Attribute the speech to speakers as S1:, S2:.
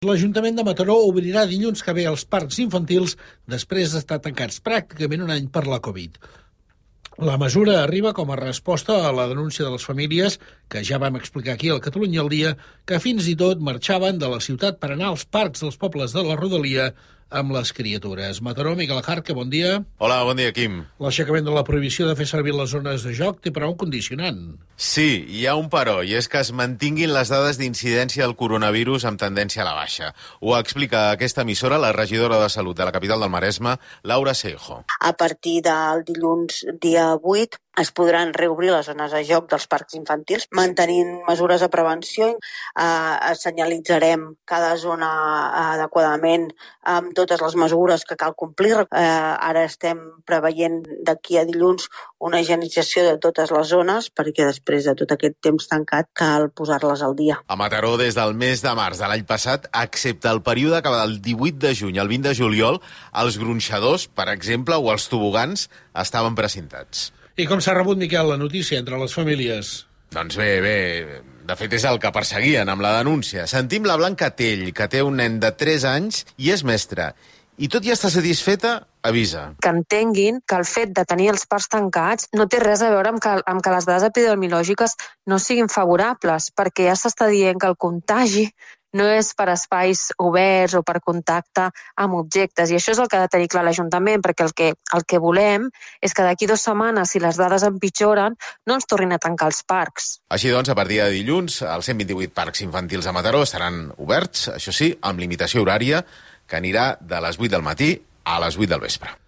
S1: L'Ajuntament de Mataró obrirà dilluns que ve els parcs infantils després d'estar tancats pràcticament un any per la Covid. La mesura arriba com a resposta a la denúncia de les famílies, que ja vam explicar aquí al Catalunya al dia, que fins i tot marxaven de la ciutat per anar als parcs dels pobles de la rodalia amb les criatures. Mataró, Miquel Ajarque, bon dia.
S2: Hola, bon dia, Quim.
S1: L'aixecament de la prohibició de fer servir les zones de joc té però un condicionant.
S2: Sí, hi ha un però, i és que es mantinguin les dades d'incidència del coronavirus amb tendència a la baixa. Ho explica a aquesta emissora la regidora de Salut de la capital del Maresme, Laura Seijo.
S3: A partir del dilluns dia 8 es podran reobrir les zones de joc dels parcs infantils, mantenint mesures de prevenció. Senyalitzarem cada zona adequadament amb totes les mesures que cal complir. Ara estem preveient d'aquí a dilluns una higienització de totes les zones, perquè després de tot aquest temps tancat cal posar-les al dia.
S2: A Mataró, des del mes de març de l'any passat, excepte el període que va del 18 de juny al 20 de juliol, els gronxadors, per exemple, o els tobogans estaven precintats.
S1: I com s'ha rebut, Miquel, la notícia entre les famílies?
S2: Doncs bé, de fet és el que perseguien amb la denúncia. Sentim la Blanca Tell, que té un nen de 3 anys i és mestra. I tot i estar satisfeta, avisa.
S4: Que entenguin que el fet de tenir els parcs tancats no té res a veure amb que les dades epidemiològiques no siguin favorables, perquè ja s'està dient que el contagi no és per espais oberts o per contacte amb objectes. I això és el que ha de tenir clar l'Ajuntament, perquè el que volem és que d'aquí 2 setmanes, si les dades empitjoren, no ens tornin a tancar els parcs.
S2: Així doncs, a partir de dilluns, els 128 parcs infantils a Mataró estaran oberts, això sí, amb limitació horària, que anirà de les 8 del matí a les 8 del vespre.